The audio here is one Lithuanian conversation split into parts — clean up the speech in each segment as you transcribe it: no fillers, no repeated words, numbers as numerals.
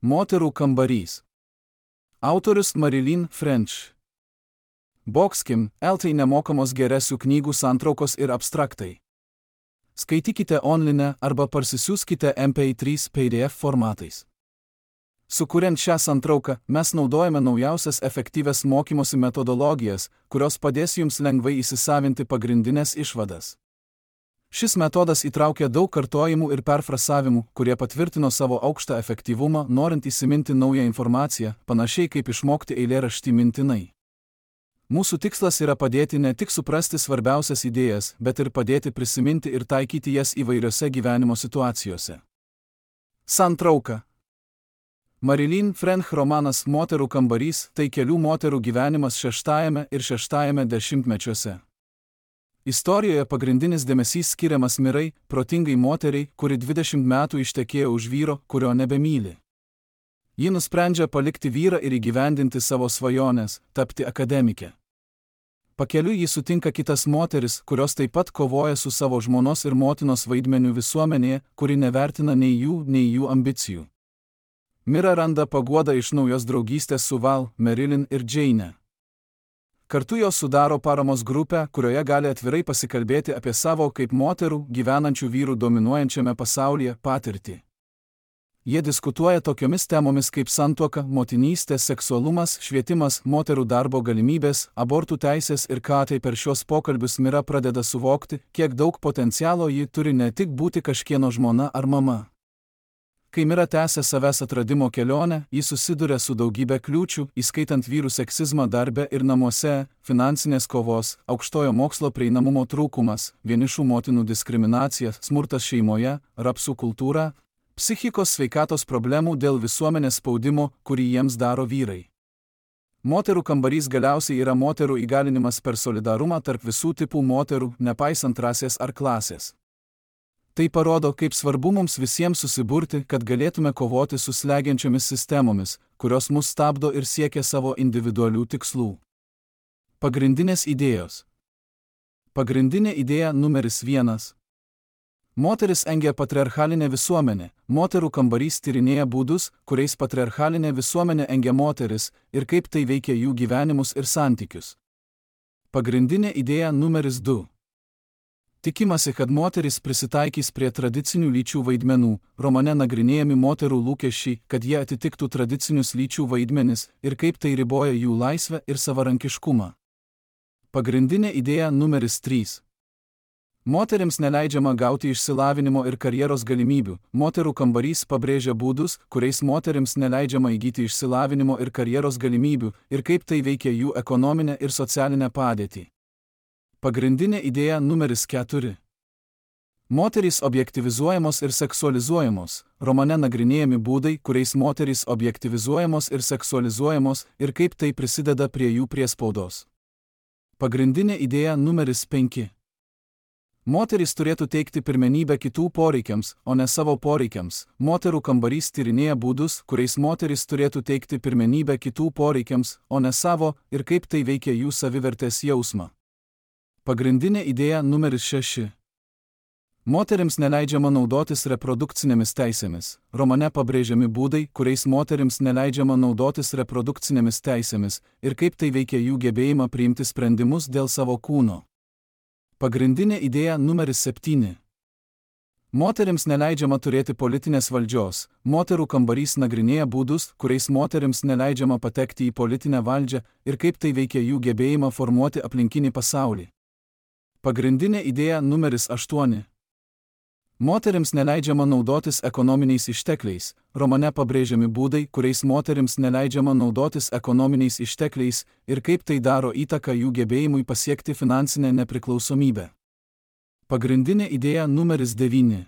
Moterų kambarys. Autorius Marilyn French. Boxkim, LT nemokamos geresių knygų santraukos ir abstraktai. Skaitykite online arba parsisiųskite MP3 PDF formatais. Sukuriant šią santrauką, mes naudojame naujausias efektyvias mokymosi metodologijas, kurios padės jums lengvai įsisavinti pagrindinės išvadas. Šis metodas įtraukia daug kartojimų ir perfrasavimų, kurie patvirtino savo aukštą efektyvumą, norint įsiminti naują informaciją, panašiai kaip išmokti eilėraštį mintinai. Mūsų tikslas yra padėti ne tik suprasti svarbiausias idėjas, bet ir padėti prisiminti ir taikyti jas įvairiose gyvenimo situacijose. Santrauka. Marilyn French romanas Moterų kambarys tai kelių moterų gyvenimas 6 ir 6 dešimtmečiuose. Istorijoje pagrindinis dėmesys skiriamas Mirai, protingai moteriai, kuri 20 metų ištekėjo už vyro, kurio nebemyli. Ji nusprendžia palikti vyrą ir įgyvendinti savo svajones, tapti akademike. Pakeliui ji sutinka kitas moteris, kurios taip pat kovoja su savo žmonos ir motinos vaidmeniu visuomenėje, kuri nevertina nei jų ambicijų. Mira randa paguodą iš naujos draugystės su Val, Marilyn ir Jane. Kartu jos sudaro paramos grupę, kurioje gali atvirai pasikalbėti apie savo kaip moterų, gyvenančių vyrų dominuojančiame pasaulyje, patirtį. Jie diskutuoja tokiomis temomis kaip santuoka, motinystė, seksualumas, švietimas, moterų darbo galimybės, abortų teisės ir ką tai per šios pokalbius Mira pradeda suvokti, kiek daug potencialo ji turi ne tik būti kažkieno žmona ar mama. Kai Mira tęsia savęs atradimo kelionę, ji susiduria su daugybė kliūčių, įskaitant vyrų seksizmą darbe ir namuose, finansinės kovos, aukštojo mokslo prieinamumo trūkumas, vienišų motinų diskriminacija, smurtas šeimoje, rapsų kultūra, psichikos sveikatos problemų dėl visuomenės spaudimo, kurį jiems daro vyrai. Moterų kambarys galiausiai yra moterų įgalinimas per solidarumą tarp visų tipų moterų, nepaisant rasės ar klasės. Tai parodo, kaip svarbu mums visiems susiburti, kad galėtume kovoti su slegiančiomis sistemomis, kurios mus stabdo ir siekia savo individualių tikslų. Pagrindinės idėjos. Pagrindinė idėja numeris 1. Moteris engia patriarchalinę visuomenę. Moterų kambarys tyrinėja būdus, kuriais patriarchalinė visuomenė engia moteris ir kaip tai veikia jų gyvenimus ir santykius. Pagrindinė idėja numeris 2. Tikimasi, kad moteris prisitaikys prie tradicinių lyčių vaidmenų, romane nagrinėjami moterų lūkesčiai, kad jie atitiktų tradicinius lyčių vaidmenis ir kaip tai riboja jų laisvę ir savarankiškumą. Pagrindinė idėja numeris 3. Moterims neleidžiama gauti išsilavinimo ir karjeros galimybių. Moterų kambarys pabrėžia būdus, kuriais moterims neleidžiama įgyti išsilavinimo ir karjeros galimybių ir kaip tai veikia jų ekonominę ir socialinę padėtį. Pagrindinė idėja numeris 4. Moterys objektyvizuojamos ir seksualizuojamos. Romane nagrinėjami būdai, kuriais moterys objektyvizuojamos ir seksualizuojamos ir kaip tai prisideda prie jų priespaudos. Pagrindinė idėja numeris 5. Moterys turėtų teikti pirmenybę kitų poreikiams, o ne savo poreikiams. Moterų kambarys tyrinėja būdus, kuriais moterys turėtų teikti pirmenybę kitų poreikiams, o ne savo, ir kaip tai veikia jų savivertės jausmą. Pagrindinė idėja numeris 6. Moterims neleidžiama naudotis reprodukcinėmis teisėmis. Romane pabrėžiami būdai, kuriais moterims neleidžiama naudotis reprodukcinėmis teisėmis ir kaip tai veikia jų gebėjimą priimti sprendimus dėl savo kūno. Pagrindinė idėja numeris 7. Moterims neleidžiama turėti politinės valdžios. Moterų kambarys nagrinėja būdus, kuriais moterims neleidžiama patekti į politinę valdžią ir kaip tai veikia jų gebėjimą formuoti aplinkinį pasaulį. Pagrindinė idėja numeris 8. Moterims neleidžiama naudotis ekonominiais ištekliais. Romane pabrėžiami būdai, kuriais moterims neleidžiama naudotis ekonominiais ištekliais ir kaip tai daro įtaką jų gebėjimui pasiekti finansinę nepriklausomybę. Pagrindinė idėja numeris 9.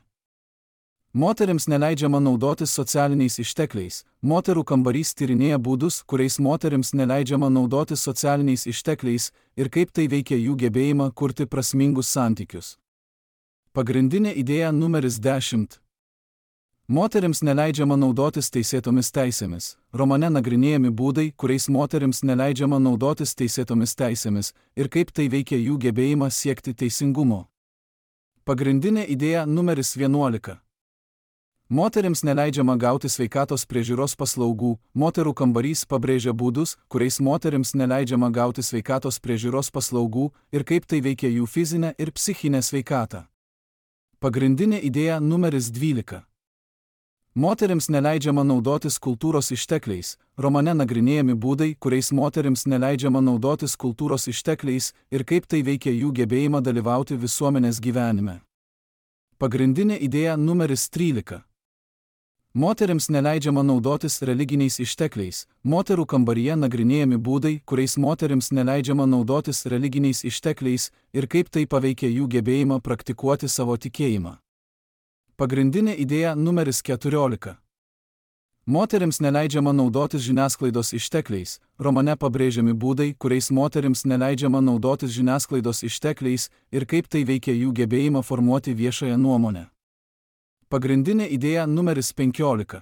Moterims neleidžiama naudotis socialiniais ištekliais. Moterų kambarys tyrinėja būdus, kuriais moterims neleidžiama naudotis socialiniais ištekliais ir kaip tai veikia jų gebėjimą kurti prasmingus santykius. Pagrindinė idėja numeris 10. Moterims neleidžiama naudotis teisėtomis teisėmis. Romane nagrinėjami būdai, kuriais moterims neleidžiama naudotis teisėtomis teisėmis ir kaip tai veikia jų gebėjimą siekti teisingumo. Pagrindinė idėja numeris 11. Moterims neleidžiama gauti sveikatos priežiūros paslaugų, moterų kambarys pabrėžia būdus, kuriais moterims neleidžiama gauti sveikatos priežiūros paslaugų ir kaip tai veikia jų fizinę ir psichinę sveikatą. Pagrindinė idėja numeris 12. Moterims neleidžiama naudotis kultūros ištekliais, romane nagrinėjami būdai, kuriais moterims neleidžiama naudotis kultūros ištekliais ir kaip tai veikia jų gebėjimą dalyvauti visuomenės gyvenime. Pagrindinė idėja numeris 13. Moterims neleidžiama naudotis religiniais ištekliais, moterų kambaryje nagrinėjami būdai, kuriais moterims neleidžiama naudotis religiniais ištekliais ir kaip tai paveikia jų gebėjimą praktikuoti savo tikėjimą. Pagrindinė idėja numeris 14. Moterims neleidžiama naudotis žiniasklaidos ištekliais, romane pabrėžiami būdai, kuriais moterims neleidžiama naudotis žiniasklaidos ištekliais ir kaip tai veikia jų gebėjimą formuoti viešąją nuomonę. Pagrindinė idėja numeris 15.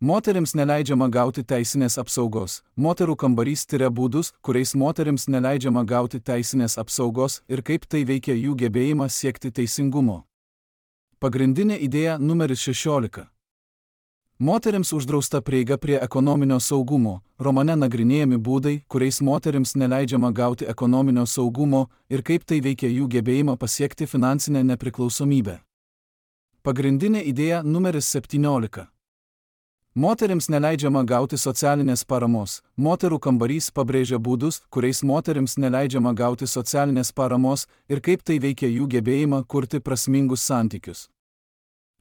Moterims neleidžiama gauti teisinės apsaugos, moterų kambarys tiria būdus, kuriais moterims neleidžiama gauti teisinės apsaugos ir kaip tai veikia jų gebėjimą siekti teisingumo. Pagrindinė idėja numeris 16. Moterims uždrausta prieiga prie ekonominio saugumo, romane nagrinėjami būdai, kuriais moterims neleidžiama gauti ekonominio saugumo ir kaip tai veikia jų gebėjimą pasiekti finansinę nepriklausomybę. Pagrindinė idėja numeris 17. Moterims neleidžiama gauti socialinės paramos, moterų kambarys pabrėžia būdus, kuriais moterims neleidžiama gauti socialinės paramos ir kaip tai veikia jų gebėjimą kurti prasmingus santykius.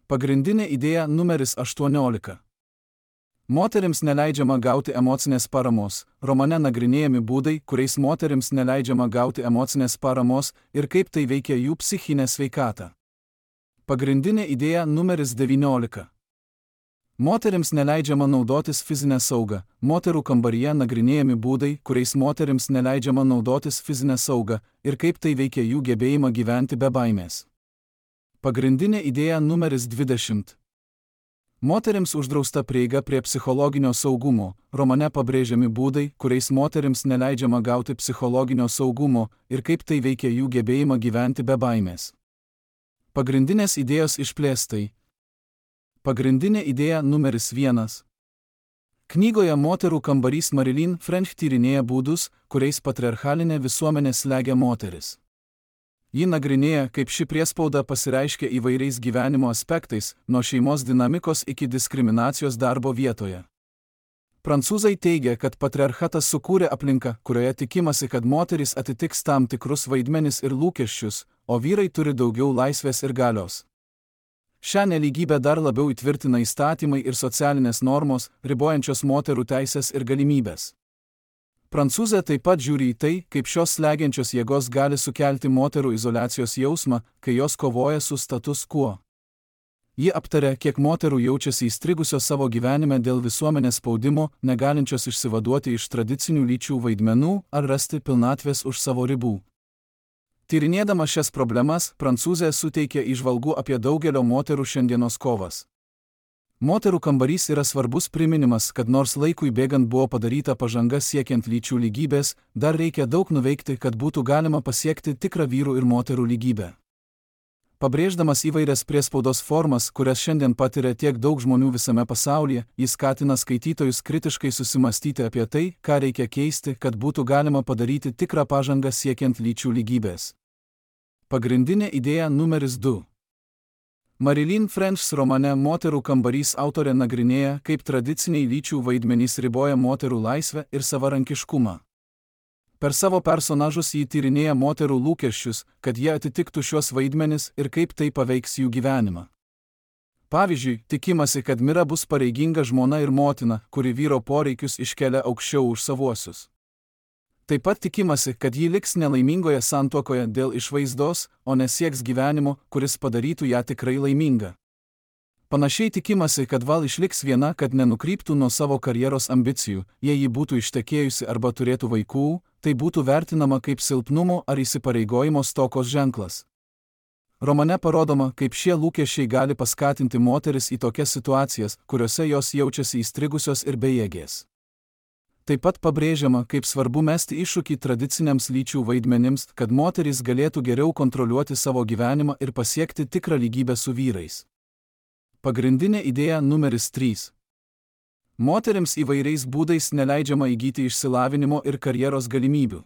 Pagrindinė idėja numeris 18. Moterims neleidžiama gauti emocinės paramos, romane nagrinėjami būdai, kuriais moterims neleidžiama gauti emocinės paramos ir kaip tai veikia jų psichinę sveikatą. Pagrindinė idėja numeris 19. Moterims neleidžiama naudotis fizinę saugą, moterų kambaryje nagrinėjami būdai, kuriais moterims neleidžiama naudotis fizinę saugą ir kaip tai veikia jų gebėjimą gyventi be baimės. Pagrindinė idėja numeris 20. Moterims uždrausta prieiga prie psichologinio saugumo, romane pabrėžiami būdai, kuriais moterims neleidžiama gauti psichologinio saugumo ir kaip tai veikia jų gebėjimą gyventi be baimės. Pagrindinės idėjos išplėstai. Pagrindinė idėja numeris 1. Knygoje Moterų kambarys Marilyn French tyrinėja būdus, kuriais patriarchalinė visuomenė slegia moteris. Ji nagrinėja, kaip ši priespauda pasireiškia įvairiais gyvenimo aspektais, nuo šeimos dinamikos iki diskriminacijos darbo vietoje. Prancūzai teigia, kad patriarchatas sukūrė aplinką, kurioje tikimasi, kad moterys atitiks tam tikrus vaidmenis ir lūkesčius, o vyrai turi daugiau laisvės ir galios. Šią nelygybę dar labiau įtvirtina įstatymai ir socialinės normos, ribojančios moterų teisės ir galimybės. Prancūzė taip pat žiūri į tai, kaip šios slegiančios jėgos gali sukelti moterų izoliacijos jausmą, kai jos kovoja su status quo. Ji aptarė, kiek moterų jaučiasi įstrigusios savo gyvenime dėl visuomenės spaudimo, negalinčios išsivaduoti iš tradicinių lyčių vaidmenų ar rasti pilnatvės už savo ribų. Tyrinėdama šias problemas, Prancūzė suteikė įžvalgų apie daugelio moterų šiandienos kovas. Moterų kambarys yra svarbus priminimas, kad nors laikui bėgant buvo padaryta pažanga siekiant lyčių lygybės, dar reikia daug nuveikti, kad būtų galima pasiekti tikrą vyrų ir moterų lygybę. Pabrėždamas įvairias priespaudos formas, kurias šiandien patiria tiek daug žmonių visame pasaulyje, jis skatina skaitytojus kritiškai susimastyti apie tai, ką reikia keisti, kad būtų galima padaryti tikrą pažangą siekiant lyčių lygybės. Pagrindinė idėja numeris 2. Marilyn French romane Moterų kambarys autorė nagrinėja, kaip tradiciniai lyčių vaidmenys riboja moterų laisvę ir savarankiškumą. Per savo personažus jį tyrinėja moterų lūkesčius, kad jie atitiktų šios vaidmenis ir kaip tai paveiks jų gyvenimą. Pavyzdžiui, tikimasi, kad Mira bus pareiginga žmona ir motina, kuri vyro poreikius iškelia aukščiau už savuosius. Taip pat tikimasi, kad ji liks nelaimingoje santuokoje dėl išvaizdos, o nesieks gyvenimo, kuris padarytų ją tikrai laimingą. Panašiai tikimasi, kad Val išliks viena, kad nenukryptų nuo savo karjeros ambicijų, jei ji būtų ištekėjusi arba turėtų vaikų, tai būtų vertinama kaip silpnumo ar įsipareigojimo stokos ženklas. Romane parodoma, kaip šie lūkesčiai gali paskatinti moteris į tokias situacijas, kuriuose jos jaučiasi įstrigusios ir bejėgės. Taip pat pabrėžiama, kaip svarbu mesti iššūkį tradiciniams lyčių vaidmenims, kad moterys galėtų geriau kontroliuoti savo gyvenimą ir pasiekti tikrą lygybę su vyrais. Pagrindinė idėja numeris 3. Moterims įvairiais būdais neleidžiama įgyti išsilavinimo ir karjeros galimybių.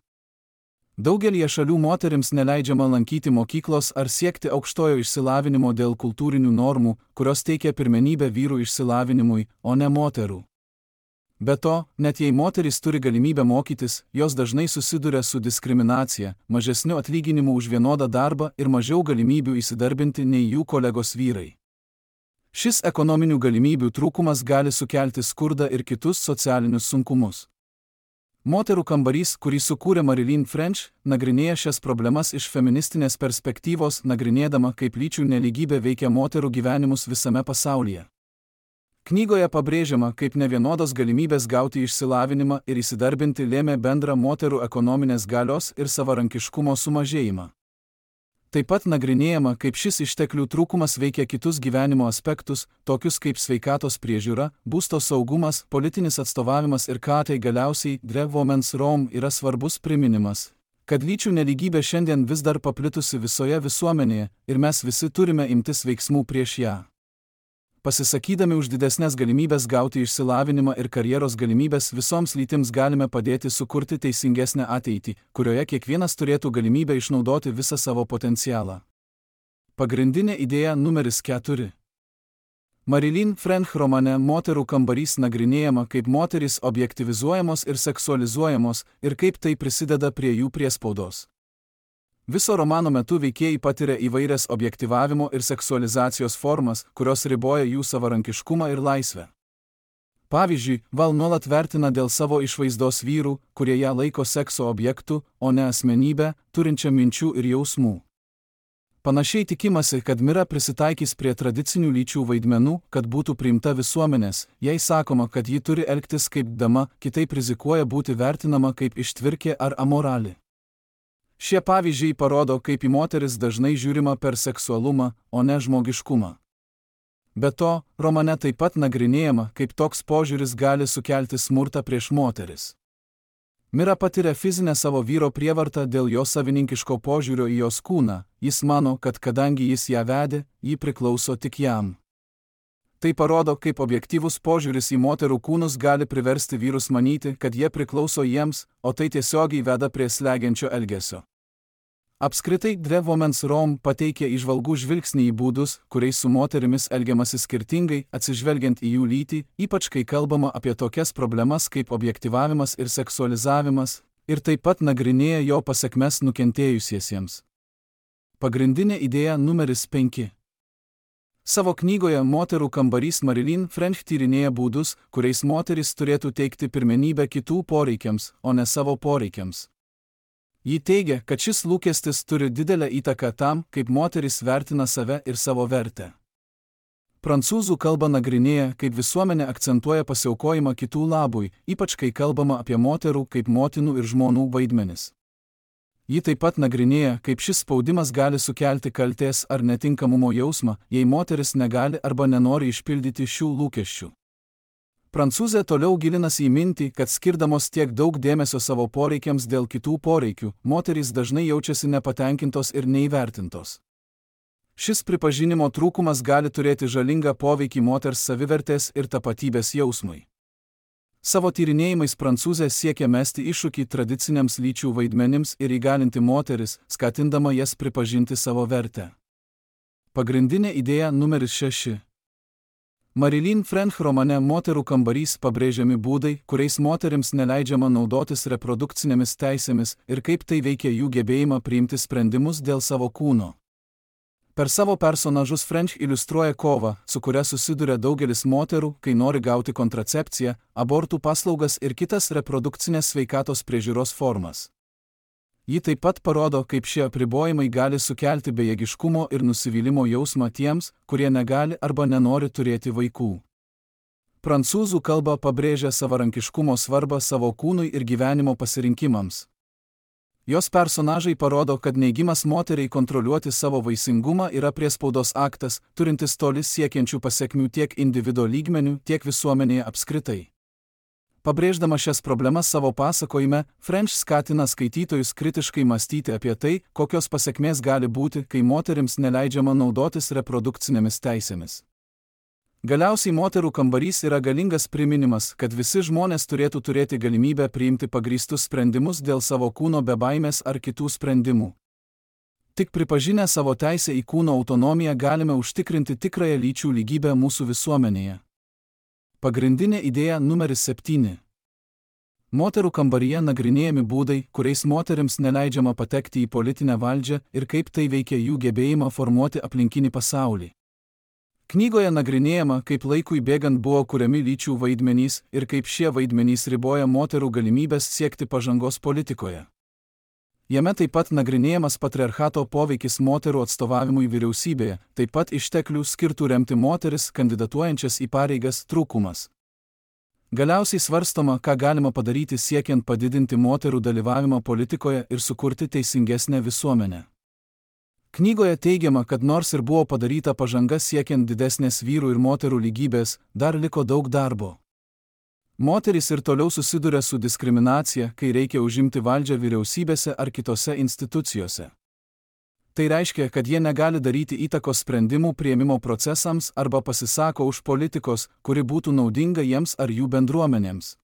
Daugelie šalių moterims neleidžiama lankyti mokyklos ar siekti aukštojo išsilavinimo dėl kultūrinių normų, kurios teikia pirmenybę vyrų išsilavinimui, o ne moterų. Be to, net jei moterys turi galimybę mokytis, jos dažnai susiduria su diskriminacija, mažesniu atlyginimu už vienodą darbą ir mažiau galimybių įsidarbinti nei jų kolegos vyrai. Šis ekonominių galimybių trūkumas gali sukelti skurdą ir kitus socialinius sunkumus. Moterų kambarys, kurį sukūrė Marilyn French, nagrinėja šias problemas iš feministinės perspektyvos, nagrinėdama, kaip lyčių nelygybė veikia moterų gyvenimus visame pasaulyje. Knygoje pabrėžiama, kaip nevienodos galimybės gauti išsilavinimą ir įsidarbinti lėmė bendrą moterų ekonominės galios ir savarankiškumo sumažėjimą. Taip pat nagrinėjama, kaip šis išteklių trūkumas veikia kitus gyvenimo aspektus, tokius kaip sveikatos priežiūra, būsto saugumas, politinis atstovavimas ir ką tai galiausiai Women's Room yra svarbus priminimas, kad lyčių nelygybė šiandien vis dar paplitusi visoje visuomenėje ir mes visi turime imtis veiksmų prieš ją. Pasisakydami už didesnės galimybės gauti išsilavinimą ir karjeros galimybės visoms lytims galime padėti sukurti teisingesnę ateitį, kurioje kiekvienas turėtų galimybę išnaudoti visą savo potencialą. Pagrindinė idėja numeris 4. Marilyn French romane Moterų kambarys nagrinėjama, kaip moterys objektyvizuojamos ir seksualizuojamos ir kaip tai prisideda prie jų priespaudos. Viso romano metu veikėjai patiria įvairias objektyvavimo ir seksualizacijos formas, kurios riboja jų savarankiškumą ir laisvę. Pavyzdžiui, Val nuolat vertina dėl savo išvaizdos vyrų, kurie ją laiko sekso objektu, o ne asmenybę, turinčią minčių ir jausmų. Panašiai tikimasi, kad Mira prisitaikys prie tradicinių lyčių vaidmenų, kad būtų priimta visuomenės, jei sakoma, kad ji turi elgtis kaip dama, kitaip rizikuoja būti vertinama kaip ištvirkė ar amorali. Šie pavyzdžiai parodo, kaip į moteris dažnai žiūrima per seksualumą, o ne žmogiškumą. Be to, romane taip pat nagrinėjama, kaip toks požiūris gali sukelti smurtą prieš moteris. Mira patiria fizinę savo vyro prievartą dėl jo savininkiško požiūrio į jos kūną, jis mano, kad kadangi jis ją vedė, ji priklauso tik jam. Tai parodo, kaip objektyvus požiūris į moterų kūnus gali priversti vyrus manyti, kad jie priklauso jiems, o tai tiesiogiai veda prie slegiančio elgesio. Apskritai, Women's Room pateikia įžvalgų žvilgsnį į būdus, kuriais su moterimis elgiamasi skirtingai, atsižvelgiant į jų lytį, ypač kai kalbama apie tokias problemas kaip objektyvavimas ir seksualizavimas, ir taip pat nagrinėja jo pasekmes nukentėjusiesiems. Pagrindinė idėja numeris 5. Savo knygoje Moterų kambarys Marilyn French tyrinėja būdus, kuriais moteris turėtų teikti pirmenybę kitų poreikiams, o ne savo poreikiams. Ji teigia, kad šis lūkestis turi didelę įtaką tam, kaip moteris vertina save ir savo vertę. Prancūzų kalba nagrinėja, kaip visuomenė akcentuoja pasiaukojimą kitų labui, ypač kai kalbama apie moterų kaip motinų ir žmonų vaidmenis. Ji taip pat nagrinėja, kaip šis spaudimas gali sukelti kaltės ar netinkamumo jausmą, jei moteris negali arba nenori išpildyti šių lūkesčių. Prancūzė toliau gilinasi į mintį, kad skirdamos tiek daug dėmesio savo poreikiams dėl kitų poreikių, moterys dažnai jaučiasi nepatenkintos ir neįvertintos. Šis pripažinimo trūkumas gali turėti žalingą poveikį moters savivertės ir tapatybės jausmui. Savo tyrinėjimais Prancūzė siekia mesti iššūkį tradiciniams lyčių vaidmenims ir įgalinti moteris, skatindama jas pripažinti savo vertę. Pagrindinė idėja numeris 6. Marilyn French romane Moterų kambarys pabrėžiami būdai, kuriais moterims neleidžiama naudotis reprodukcinėmis teisėmis ir kaip tai veikia jų gebėjimą priimti sprendimus dėl savo kūno. Per savo personažus French iliustruoja kovą, su kuria susiduria daugelis moterų, kai nori gauti kontracepciją, abortų paslaugas ir kitas reprodukcinės sveikatos priežiūros formas. Ji taip pat parodo, kaip šie apribojimai gali sukelti bejėgiškumo ir nusivylimo jausmą tiems, kurie negali arba nenori turėti vaikų. Prancūzų kalba pabrėžia savarankiškumo svarbą savo kūnui ir gyvenimo pasirinkimams. Jos personažai parodo, kad neigimas moteriai kontroliuoti savo vaisingumą yra priespaudos aktas, turintis toli siekiančių pasekmių tiek individo lygmenių, tiek visuomenėje apskritai. Pabrėždama šias problemas savo pasakojime, French skatina skaitytojus kritiškai mąstyti apie tai, kokios pasekmės gali būti, kai moterims neleidžiama naudotis reprodukcinėmis teisėmis. Galiausiai moterų kambarys yra galingas priminimas, kad visi žmonės turėtų turėti galimybę priimti pagrįstus sprendimus dėl savo kūno be baimės ar kitų sprendimų. Tik pripažinę savo teisę į kūno autonomiją galime užtikrinti tikrąją lyčių lygybę mūsų visuomenėje. Pagrindinė idėja numeris 7. Moterų kambaryje nagrinėjami būdai, kuriais moterims neleidžiama patekti į politinę valdžią ir kaip tai veikia jų gebėjimą formuoti aplinkinį pasaulį. Knygoje nagrinėjama, kaip laikui bėgant buvo kuriami lyčių vaidmenys ir kaip šie vaidmenys riboja moterų galimybės siekti pažangos politikoje. Jame taip pat nagrinėjamas patriarchato poveikis moterų atstovavimui vyriausybėje, taip pat išteklių skirtų remti moteris kandidatuojančias į pareigas trūkumas. Galiausiai svarstoma, ką galima padaryti siekiant padidinti moterų dalyvavimą politikoje ir sukurti teisingesnę visuomenę. Knygoje teigiama, kad nors ir buvo padaryta pažanga siekiant didesnės vyrų ir moterų lygybės, dar liko daug darbo. Moterys ir toliau susiduria su diskriminacija, kai reikia užimti valdžią vyriausybėse ar kitose institucijose. Tai reiškia, kad jie negali daryti įtakos sprendimų priėmimo procesams arba pasisako už politikos, kuri būtų naudinga jiems ar jų bendruomenėms.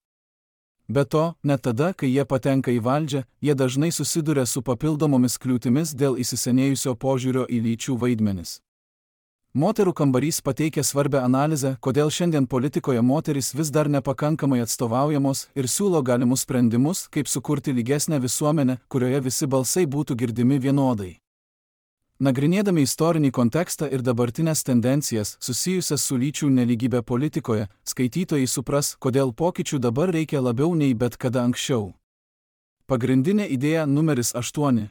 Be to, net tada, kai jie patenka į valdžią, jie dažnai susiduria su papildomomis kliūtimis dėl įsisenėjusio požiūrio į lyčių vaidmenis. Moterų kambarys pateikia svarbią analizę, kodėl šiandien politikoje moterys vis dar nepakankamai atstovaujamos ir siūlo galimus sprendimus, kaip sukurti lygesnę visuomenę, kurioje visi balsai būtų girdimi vienodai. Nagrinėdami istorinį kontekstą ir dabartinės tendencijas susijusias su lyčių nelygybė politikoje, skaitytojai supras, kodėl pokyčių dabar reikia labiau nei bet kada anksčiau. Pagrindinė idėja numeris 8.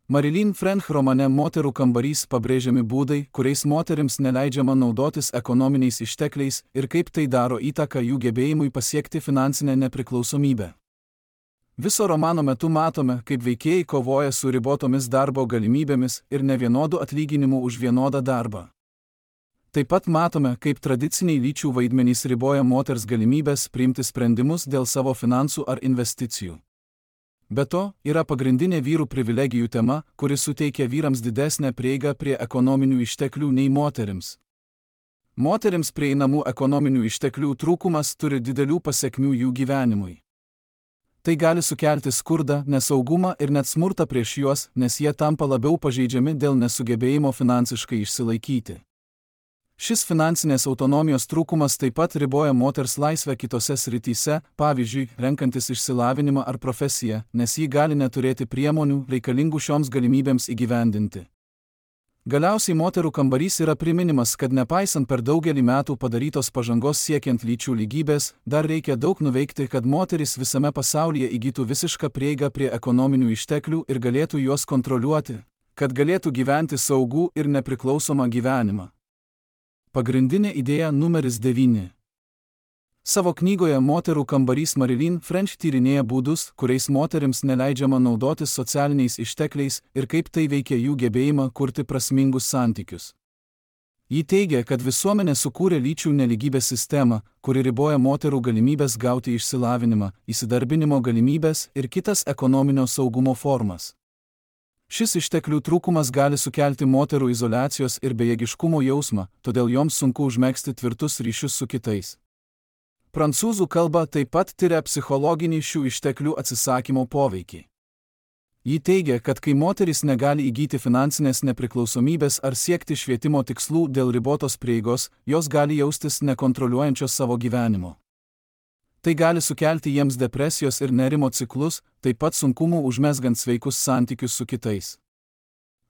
Marilyn French romane Moterų kambarys pabrėžiami būdai, kuriais moterims neleidžiama naudotis ekonominiais ištekliais ir kaip tai daro įtaką jų gebėjimui pasiekti finansinę nepriklausomybę. Viso romano metu matome, kaip veikėjai kovoja su ribotomis darbo galimybėmis ir nevienodų atlyginimų už vienodą darbą. Taip pat matome, kaip tradiciniai lyčių vaidmenys riboja moters galimybės priimti sprendimus dėl savo finansų ar investicijų. Be to, yra pagrindinė vyrų privilegijų tema, kuri suteikia vyrams didesnę prieigą prie ekonominių išteklių nei moterims. Moterims prieinamų ekonominių išteklių trūkumas turi didelių pasekmių jų gyvenimui. Tai gali sukelti skurdą, nesaugumą ir net smurtą prieš juos, nes jie tampa labiau pažeidžiami dėl nesugebėjimo finansiškai išsilaikyti. Šis finansinės autonomijos trūkumas taip pat riboja moters laisvę kitose srityse, pavyzdžiui, renkantis išsilavinimą ar profesiją, nes ji gali neturėti priemonių reikalingų šioms galimybėms įgyvendinti. Galiausiai moterų kambarys yra priminimas, kad nepaisant per daugelį metų padarytos pažangos siekiant lyčių lygybės, dar reikia daug nuveikti, kad moterys visame pasaulyje įgytų visišką prieigą prie ekonominių išteklių ir galėtų juos kontroliuoti, kad galėtų gyventi saugų ir nepriklausomą gyvenimą. Pagrindinė idėja numeris 9. Savo knygoje Moterų kambarys Marilyn French tyrinėja būdus, kuriais moterims neleidžiama naudotis socialiniais ištekliais ir kaip tai veikia jų gebėjimą kurti prasmingus santykius. Ji teigia, kad visuomenė sukūrė lyčių nelygybės sistemą, kuri riboja moterų galimybės gauti išsilavinimą, įsidarbinimo galimybės ir kitas ekonominio saugumo formas. Šis išteklių trūkumas gali sukelti moterų izoliacijos ir bejėgiškumo jausmą, todėl joms sunku užmegzti tvirtus ryšius su kitais. Prancūzų kalba taip pat tiria psichologinį šių išteklių atsisakymo poveikį. Ji teigia, kad kai moteris negali įgyti finansinės nepriklausomybės ar siekti švietimo tikslų dėl ribotos prieigos, jos gali jaustis nekontroliuojančios savo gyvenimo. Tai gali sukelti jiems depresijos ir nerimo ciklus, taip pat sunkumų užmezgant sveikus santykius su kitais.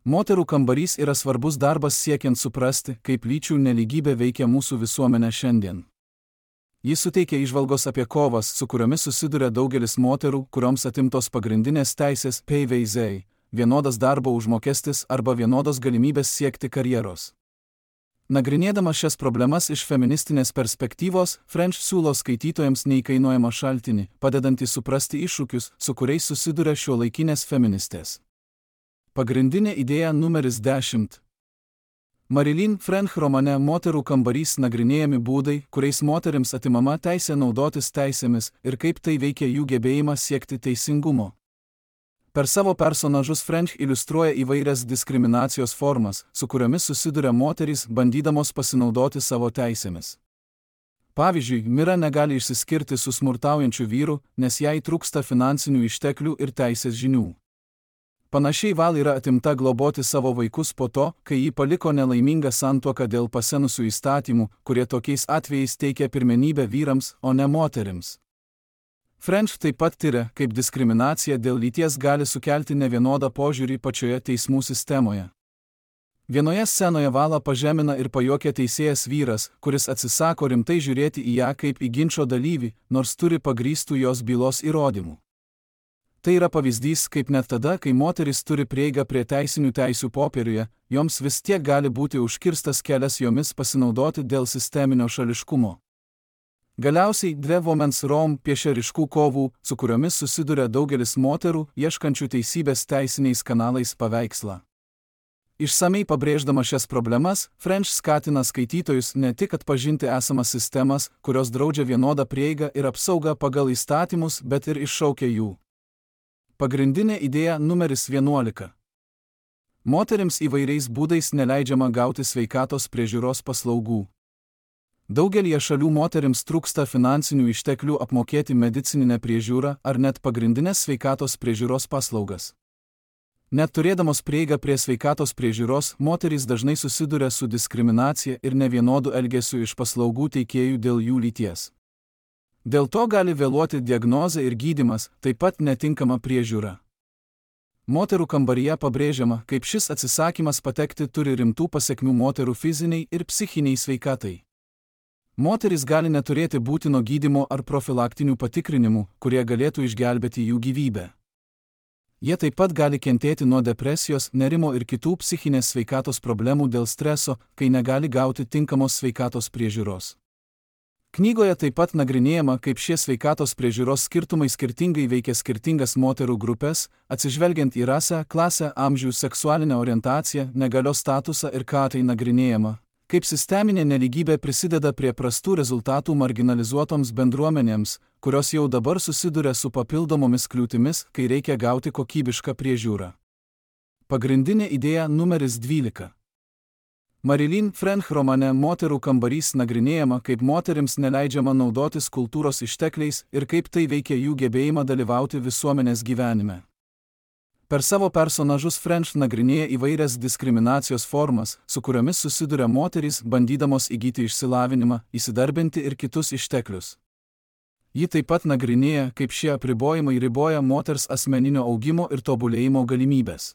Moterų kambarys yra svarbus darbas siekiant suprasti, kaip lyčių nelygybė veikia mūsų visuomenę šiandien. Jis suteikia įžvalgos apie kovas, su kuriomis susiduria daugelis moterų, kurioms atimtos pagrindinės teisės PVZ, vienodas darbo užmokestis arba vienodos galimybės siekti karjeros. Nagrinėdama šias problemas iš feministinės perspektyvos, French siūlo skaitytojams neįkainojamą šaltinį, padedantį suprasti iššūkius, su kuriais susiduria šiuolaikinės feministės. Pagrindinė idėja numeris 10. Marilyn French romane Moterų kambarys nagrinėjami būdai, kuriais moterims atimama teisė naudotis teisėmis ir kaip tai veikia jų gebėjimą siekti teisingumo. Per savo personažus French iliustruoja įvairias diskriminacijos formas, su kuriomis susiduria moterys, bandydamos pasinaudoti savo teisėmis. Pavyzdžiui, Mira negali išsiskirti su smurtaujančiu vyru, nes jai trūksta finansinių išteklių ir teisės žinių. Panašiai Val yra atimta globoti savo vaikus po to, kai ji paliko nelaimingą santuoką dėl pasenusių įstatymų, kurie tokiais atvejais teikia pirmenybę vyrams, o ne moterims. French taip pat tiria, kaip diskriminacija dėl lyties gali sukelti nevienodą požiūrį pačioje teismų sistemoje. Vienoje scenoje Valą pažemina ir pajuokia teisėjas vyras, kuris atsisako rimtai žiūrėti į ją kaip į ginčo dalyvį, nors turi pagrįstų jos bylos įrodymų. Tai yra pavyzdys, kaip net tada, kai moteris turi prieigą prie teisinių teisių popieriuje, joms vis tiek gali būti užkirstas kelias jomis pasinaudoti dėl sisteminio šališkumo. Galiausiai Dve Women's Rome piešia ryškų kovų, su kuriomis susiduria daugelis moterų, ieškančių teisybės teisiniais kanalais paveikslą. Išsamei pabrėždama šias problemas, French skatina skaitytojus ne tik atpažinti esamas sistemas, kurios draudžia vienodą prieigą ir apsaugą pagal įstatymus, bet ir iššaukia jų. Pagrindinė idėja numeris 11. Moterims įvairiais būdais neleidžiama gauti sveikatos priežiūros paslaugų. Daugelie šalių moterims trūksta finansinių išteklių apmokėti medicininę priežiūrą ar net pagrindinės sveikatos priežiūros paslaugas. Net turėdamos prieigą prie sveikatos priežiūros, moterys dažnai susiduria su diskriminacija ir nevienodu elgesiu iš paslaugų teikėjų dėl jų lyties. Dėl to gali vėluoti diagnozė ir gydymas, taip pat netinkama priežiūra. Moterų kambaryje pabrėžiama, kaip šis atsisakymas patekti turi rimtų pasekmių moterų fiziniai ir psichiniai sveikatai. Moterys gali neturėti būtino gydymo ar profilaktinių patikrinimų, kurie galėtų išgelbėti jų gyvybę. Jie taip pat gali kentėti nuo depresijos, nerimo ir kitų psichinės sveikatos problemų dėl streso, kai negali gauti tinkamos sveikatos priežiūros. Knygoje taip pat nagrinėjama, kaip šie sveikatos priežiūros skirtumai skirtingai veikia skirtingas moterų grupės, atsižvelgiant į rasę, klasę, amžių, seksualinę orientaciją, negalios statusą ir ką tai nagrinėjama. Kaip sisteminė nelygybė prisideda prie prastų rezultatų marginalizuotoms bendruomenėms, kurios jau dabar susiduria su papildomomis kliūtimis, kai reikia gauti kokybišką priežiūrą. Pagrindinė idėja numeris 12. Marilyn French romane Moterų kambarys nagrinėjama, kaip moterims neleidžiama naudotis kultūros ištekliais ir kaip tai veikia jų gebėjimą dalyvauti visuomenės gyvenime. Per savo personažus French nagrinėja įvairias diskriminacijos formas, su kuriomis susiduria moterys, bandydamos įgyti išsilavinimą, įsidarbinti ir kitus išteklius. Ji taip pat nagrinėja, kaip šie apribojimai riboja moters asmeninio augimo ir tobulėjimo galimybės.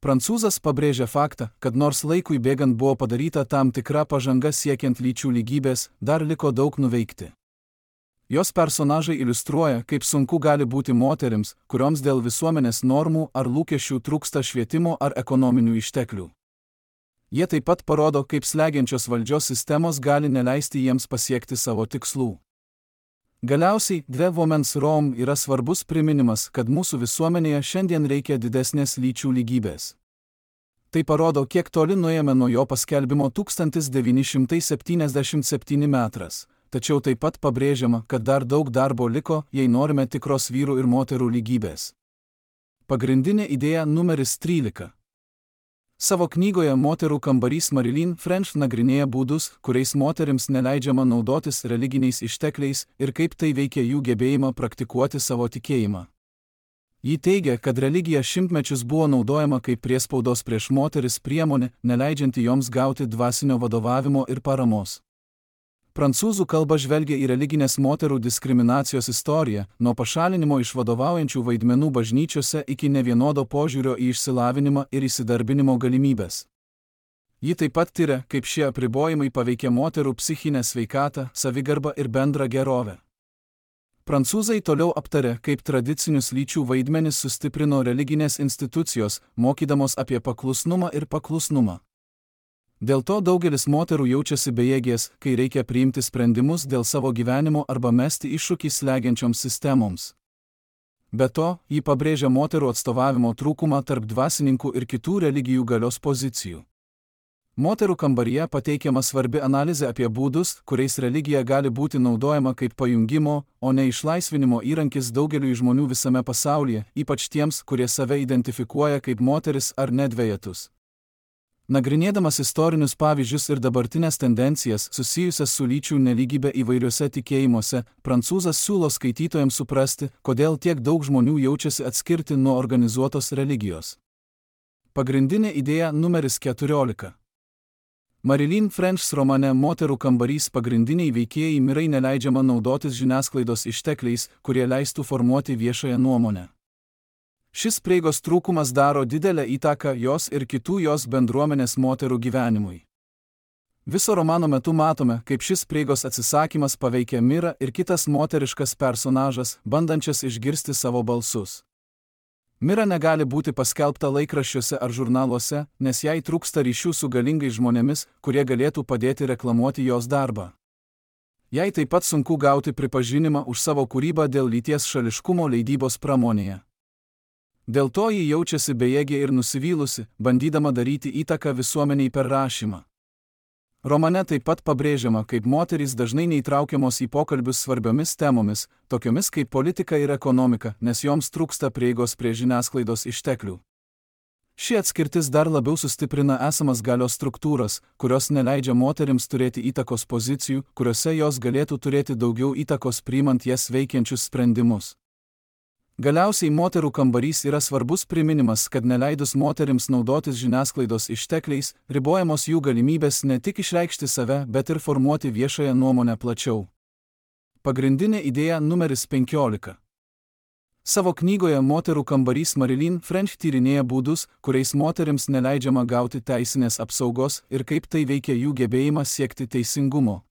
Prancūzas pabrėžia faktą, kad nors laikui bėgant buvo padaryta tam tikra pažanga siekiant lyčių lygybės, dar liko daug nuveikti. Jos personažai iliustruoja, kaip sunku gali būti moterims, kurioms dėl visuomenės normų ar lūkesčių trūksta švietimo ar ekonominių išteklių. Jie taip pat parodo, kaip slegiančios valdžios sistemos gali neleisti jiems pasiekti savo tikslų. Galiausiai, Dve Women's Rome yra svarbus priminimas, kad mūsų visuomenėje šiandien reikia didesnės lyčių lygybės. Tai parodo, kiek toli nuėjome nuo jo paskelbimo 1977 metras. Tačiau taip pat pabrėžiama, kad dar daug darbo liko, jei norime tikros vyrų ir moterų lygybės. Pagrindinė idėja numeris 13. Savo knygoje Moterų kambarys Marilyn French nagrinėja būdus, kuriais moterims neleidžiama naudotis religiniais ištekliais ir kaip tai veikia jų gebėjimą praktikuoti savo tikėjimą. Ji teigia, kad religija šimtmečius buvo naudojama kaip priespaudos prieš moteris priemonė, neleidžianti joms gauti dvasinio vadovavimo ir paramos. Prancūzų kalba žvelgia į religinės moterų diskriminacijos istoriją, nuo pašalinimo iš vadovaujančių vaidmenų bažnyčiose iki nevienodo požiūrio į išsilavinimą ir įsidarbinimo galimybės. Ji taip pat tiria, kaip šie apribojimai paveikia moterų psichinę sveikatą, savigarbą ir bendrą gerovę. Prancūzai toliau aptarė, kaip tradicinius lyčių vaidmenis sustiprino religinės institucijos, mokydamos apie paklusnumą ir paklusnumą. Dėl to daugelis moterų jaučiasi bejėgės, kai reikia priimti sprendimus dėl savo gyvenimo arba mesti iššūkį slegiančioms sistemoms. Be to, ji pabrėžia moterų atstovavimo trūkumą tarp dvasininkų ir kitų religijų galios pozicijų. Moterų kambaryje pateikiama svarbi analizė apie būdus, kuriais religija gali būti naudojama kaip pajungimo, o ne išlaisvinimo įrankis daugeliui žmonių visame pasaulyje, ypač tiems, kurie save identifikuoja kaip moteris ar nedvejetus. Nagrinėdamas istorinius pavyzdžius ir dabartinės tendencijas susijusias su lyčių nelygybė įvairiuose tikėjimuose, prancūzas siūlo skaitytojams suprasti, kodėl tiek daug žmonių jaučiasi atskirti nuo organizuotos religijos. Pagrindinė idėja numeris 14. Marilyn French romane Moterų kambarys pagrindiniai veikėjai mirai neleidžiama naudotis žiniasklaidos ištekliais, kurie leistų formuoti viešąją nuomonę. Šis prieigos trūkumas daro didelę įtaką jos ir kitų jos bendruomenės moterų gyvenimui. Viso romano metu matome, kaip šis prieigos atsisakymas paveikia Mirą ir kitas moteriškas personažas, bandančias išgirsti savo balsus. Mira negali būti paskelbta laikraščiuose ar žurnaluose, nes jai trūksta ryšių su galingais žmonėmis, kurie galėtų padėti reklamuoti jos darbą. Jai taip pat sunku gauti pripažinimą už savo kūrybą dėl lyties šališkumo leidybos pramonėje. Dėl to ji jaučiasi bejėgė ir nusivylusi, bandydama daryti įtaką visuomeniai per rašymą. Romane taip pat pabrėžiama, kaip moterys dažnai neįtraukiamos į pokalbius svarbiomis temomis, tokiomis kaip politika ir ekonomika, nes joms trūksta prieigos prie žiniasklaidos išteklių. Ši atskirtis dar labiau sustiprina esamas galios struktūras, kurios neleidžia moterims turėti įtakos pozicijų, kuriuose jos galėtų turėti daugiau įtakos priimant jas veikiančius sprendimus. Galiausiai moterų kambarys yra svarbus priminimas, kad neleidus moterims naudotis žiniasklaidos ištekliais, ribojamos jų galimybės ne tik išreikšti save, bet ir formuoti viešąją nuomonę plačiau. Pagrindinė idėja numeris 15. Savo knygoje Moterų kambarys Marilyn French tyrinėja būdus, kuriais moterims neleidžiama gauti teisinės apsaugos ir kaip tai veikia jų gebėjimą siekti teisingumo.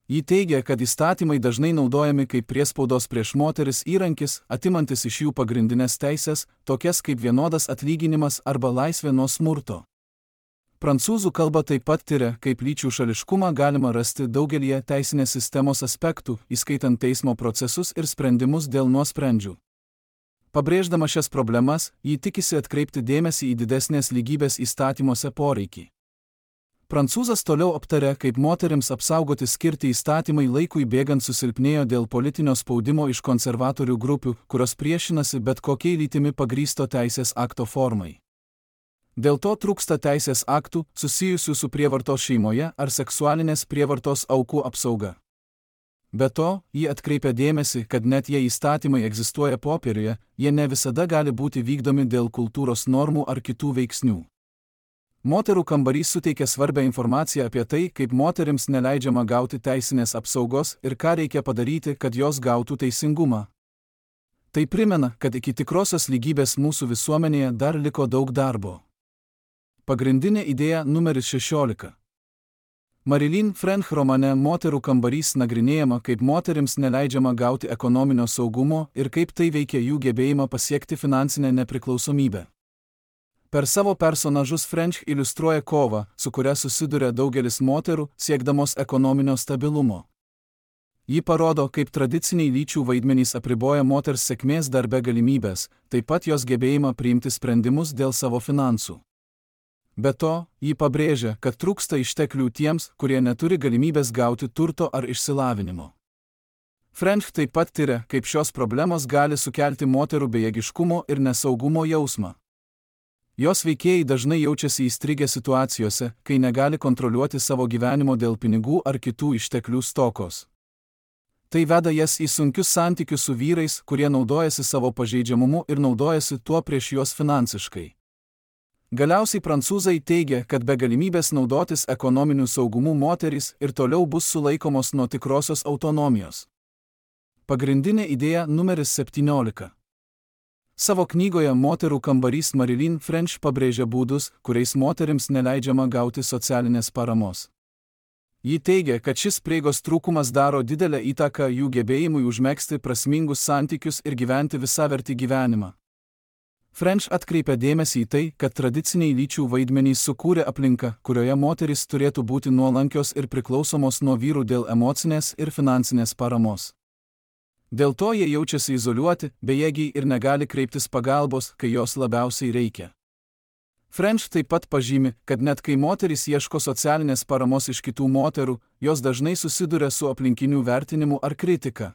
Ji teigia, kad įstatymai dažnai naudojami kaip priespaudos prieš moteris įrankis, atimantis iš jų pagrindinės teisės, tokias kaip vienodas atlyginimas arba laisvė nuo smurto. Prancūzų kalba taip pat tiria, kaip lyčių šališkumą galima rasti daugelyje teisinės sistemos aspektų, įskaitant teismo procesus ir sprendimus dėl nuosprendžių. Pabrėždama šias problemas, ji tikisi atkreipti dėmesį į didesnės lygybės įstatymuose poreikį. Prancūzas toliau aptarė, kaip moterims apsaugoti skirti įstatymai laikui bėgant susilpnėjo dėl politinio spaudimo iš konservatorių grupių, kurios priešinasi bet kokiai lytimi pagrįsto teisės akto formai. Dėl to trūksta teisės aktų, susijusių su prievartos šeimoje ar seksualinės prievartos aukų apsauga. Be to, ji atkreipia dėmesį, kad net jei įstatymai egzistuoja popieriuje, jie ne visada gali būti vykdomi dėl kultūros normų ar kitų veiksnių. Moterų kambarys suteikia svarbią informaciją apie tai, kaip moterims neleidžiama gauti teisinės apsaugos ir ką reikia padaryti, kad jos gautų teisingumą. Tai primena, kad iki tikrosios lygybės mūsų visuomenėje dar liko daug darbo. Pagrindinė idėja numeris 16. Marilyn French romane Moterų kambarys nagrinėjama, kaip moterims neleidžiama gauti ekonominio saugumo ir kaip tai veikia jų gebėjimą pasiekti finansinę nepriklausomybę. Per savo personažus French iliustruoja kovą, su kuria susiduria daugelis moterų, siekdamos ekonominio stabilumo. Ji parodo, kaip tradiciniai lyčių vaidmenys apriboja moters sėkmės darbe galimybės, taip pat jos gebėjimą priimti sprendimus dėl savo finansų. Be to, ji pabrėžia, kad trūksta išteklių tiems, kurie neturi galimybės gauti turto ar išsilavinimo. French taip pat tiria, kaip šios problemos gali sukelti moterų bejėgiškumo ir nesaugumo jausmą. Jos veikėjai dažnai jaučiasi įstrigę situacijose, kai negali kontroliuoti savo gyvenimo dėl pinigų ar kitų išteklių stokos. Tai veda jas į sunkius santykius su vyrais, kurie naudojasi savo pažeidžiamumu ir naudojasi tuo prieš juos finansiškai. Galiausiai prancūzai teigia, kad be galimybės naudotis ekonominiu saugumu moterys ir toliau bus sulaikomos nuo tikrosios autonomijos. Pagrindinė idėja numeris 17. Savo knygoje Moterų kambarys Marilyn French pabrėžia būdus, kuriais moterims neleidžiama gauti socialinės paramos. Ji teigia, kad šis prieigos trūkumas daro didelę įtaką jų gebėjimui užmegzti prasmingus santykius ir gyventi visavertį gyvenimą. French atkreipia dėmesį į tai, kad tradiciniai lyčių vaidmenys sukūrė aplinką, kurioje moterys turėtų būti nuolankios ir priklausomos nuo vyrų dėl emocinės ir finansinės paramos. Dėl to jie jaučiasi izoliuoti, bejėgiai ir negali kreiptis pagalbos, kai jos labiausiai reikia. French taip pat pažymi, kad net kai moterys ieško socialinės paramos iš kitų moterų, jos dažnai susiduria su aplinkinių vertinimu ar kritika.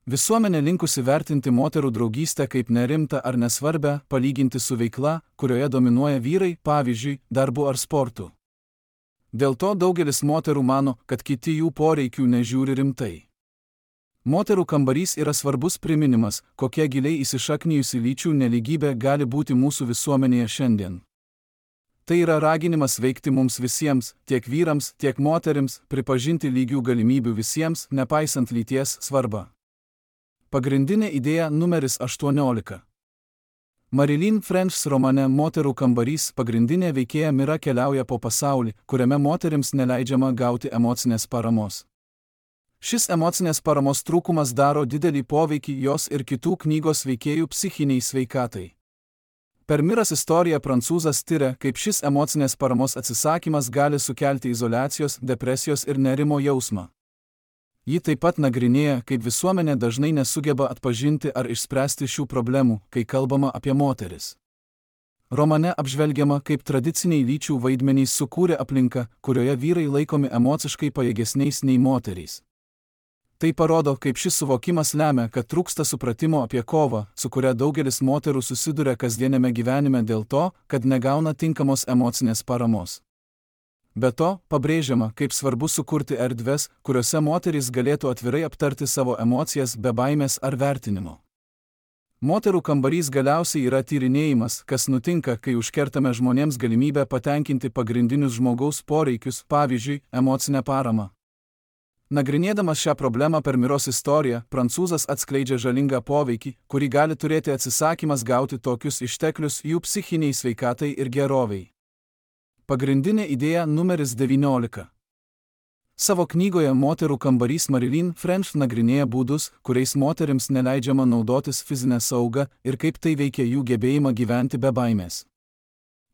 Visuomenė linkusi vertinti moterų draugystę kaip nerimtą ar nesvarbę, palyginti su veikla, kurioje dominuoja vyrai, pavyzdžiui, darbu ar sportu. Dėl to daugelis moterų mano, kad kiti jų poreikių nežiūri rimtai. Moterų kambarys yra svarbus priminimas, kokia giliai įsišaknijusi lyčių nelygybė gali būti mūsų visuomenėje šiandien. Tai yra raginimas veikti mums visiems, tiek vyrams, tiek moterims, pripažinti lygių galimybių visiems, nepaisant lyties svarbą. Pagrindinė idėja numeris 18. Marilyn French romane Moterų kambarys pagrindinė veikėja Mira keliauja po pasaulį, kuriame moterims neleidžiama gauti emocinės paramos. Šis emocinės paramos trūkumas daro didelį poveikį jos ir kitų knygos veikėjų psichiniai sveikatai. Per Miras istoriją prancūzas tiria, kaip šis emocinės paramos atsisakymas gali sukelti izoliacijos, depresijos ir nerimo jausmą. Ji taip pat nagrinėja, kaip visuomenė dažnai nesugeba atpažinti ar išspręsti šių problemų, kai kalbama apie moteris. Romane apžvelgiama, kaip tradiciniai lyčių vaidmenys sukūrė aplinką, kurioje vyrai laikomi emociškai pajėgesniais nei moterys. Tai parodo, kaip šis suvokimas lemia, kad trūksta supratimo apie kovą, su kuria daugelis moterų susiduria kasdienėme gyvenime dėl to, kad negauna tinkamos emocinės paramos. Be to, pabrėžiama, kaip svarbu sukurti erdves, kuriuose moterys galėtų atvirai aptarti savo emocijas be baimės ar vertinimo. Moterų kambarys galiausiai yra tyrinėjimas, kas nutinka, kai užkertame žmonėms galimybę patenkinti pagrindinius žmogaus poreikius, pavyzdžiui, emocinę paramą. Nagrinėdamas šią problemą per Miros istoriją, prancūzas atskleidžia žalingą poveikį, kurį gali turėti atsisakymas gauti tokius išteklius jų psichiniai sveikatai ir geroviai. Pagrindinė idėja numeris 19. Savo knygoje Moterų kambarys Marilyn French nagrinėja būdus, kuriais moterims neleidžiama naudotis fizinę saugą ir kaip tai veikia jų gebėjimą gyventi be baimės.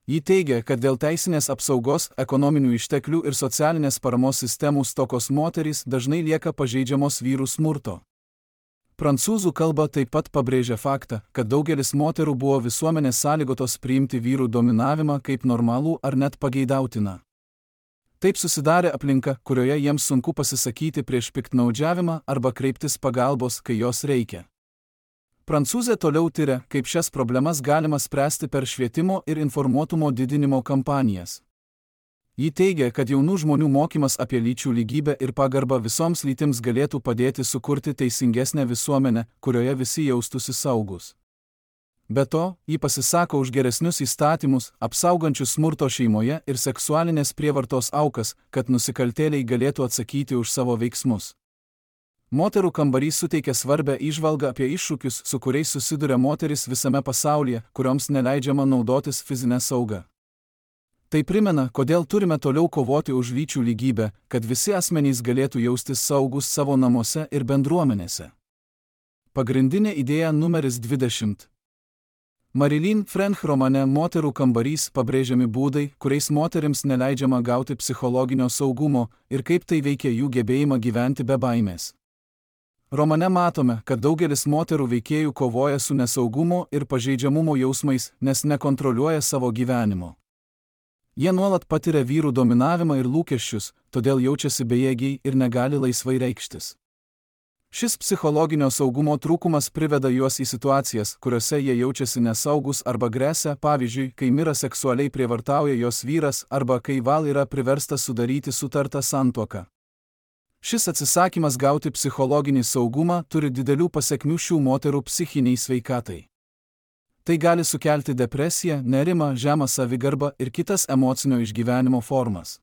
Ji teigia, kad dėl teisinės apsaugos, ekonominių išteklių ir socialinės paramos sistemų stokos moterys dažnai lieka pažeidžiamos vyrų smurto. Prancūzų kalba taip pat pabrėžia faktą, kad daugelis moterų buvo visuomenės sąlygotos priimti vyrų dominavimą kaip normalų ar net pageidautiną. Taip susidarė aplinka, kurioje jiems sunku pasisakyti prieš piktnaudžiavimą arba kreiptis pagalbos, kai jos reikia. Prancūzė toliau tiria, kaip šias problemas galima spręsti per švietimo ir informuotumo didinimo kampanijas. Ji teigia, kad jaunų žmonių mokymas apie lyčių lygybę ir pagarbą visoms lytims galėtų padėti sukurti teisingesnę visuomenę, kurioje visi jaustųsi saugus. Be to, ji pasisako už geresnius įstatymus, apsaugančius smurto šeimoje ir seksualinės prievartos aukas, kad nusikaltėliai galėtų atsakyti už savo veiksmus. Moterų kambarys suteikia svarbę įžvalgą apie iššūkius, su kuriais susiduria moteris visame pasaulyje, kurioms neleidžiama naudotis fizinę saugą. Tai primena, kodėl turime toliau kovoti už lyčių lygybę, kad visi asmenys galėtų jaustis saugus savo namuose ir bendruomenėse. Pagrindinė idėja numeris 20. Marilyn French romane Moterų kambarys pabrėžiami būdai, kuriais moterims neleidžiama gauti psichologinio saugumo ir kaip tai veikia jų gebėjimą gyventi be baimės. Romane matome, kad daugelis moterų veikėjų kovoja su nesaugumo ir pažeidžiamumo jausmais, nes nekontroliuoja savo gyvenimo. Jie nuolat patiria vyrų dominavimą ir lūkesčius, todėl jaučiasi bejėgiai ir negali laisvai reikštis. Šis psichologinio saugumo trūkumas priveda juos į situacijas, kuriuose jie jaučiasi nesaugus arba gresia, pavyzdžiui, kai Mira seksualiai prievartauja jos vyras arba kai Val yra priverstas sudaryti sutartą santuoką. Šis atsisakymas gauti psichologinį saugumą turi didelių pasekmių šių moterų psichiniai sveikatai. Tai gali sukelti depresiją, nerimą, žemą savigarbą ir kitas emocinio išgyvenimo formas.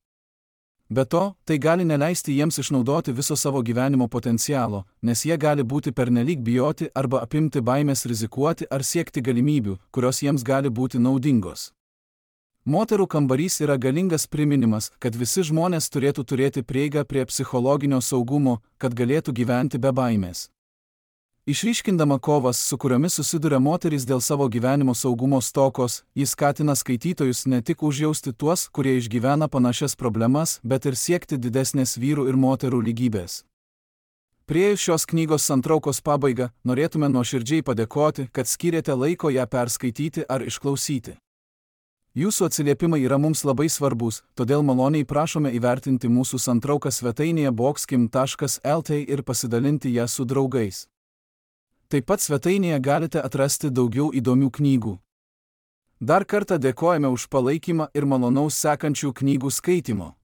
Be to, tai gali neleisti jiems išnaudoti viso savo gyvenimo potencialo, nes jie gali būti pernelyg bijoti arba apimti baimės rizikuoti ar siekti galimybių, kurios jiems gali būti naudingos. Moterų kambarys yra galingas priminimas, kad visi žmonės turėtų turėti prieigą prie psichologinio saugumo, kad galėtų gyventi be baimės. Išryškindama kovas, su kuriomis susiduria moterys dėl savo gyvenimo saugumo stokos, jis skatina skaitytojus ne tik užjausti tuos, kurie išgyvena panašias problemas, bet ir siekti didesnės vyrų ir moterų lygybės. Priėjus šios knygos santraukos pabaigą, norėtume nuoširdžiai padėkoti, kad skyrėte laiko ją perskaityti ar išklausyti. Jūsų atsiliepimai yra mums labai svarbus, todėl maloniai prašome įvertinti mūsų santrauką svetainėje boxkim.lt ir pasidalinti ją su draugais. Taip pat svetainėje galite atrasti daugiau įdomių knygų. Dar kartą dėkojame už palaikymą ir malonaus sekančių knygų skaitymo.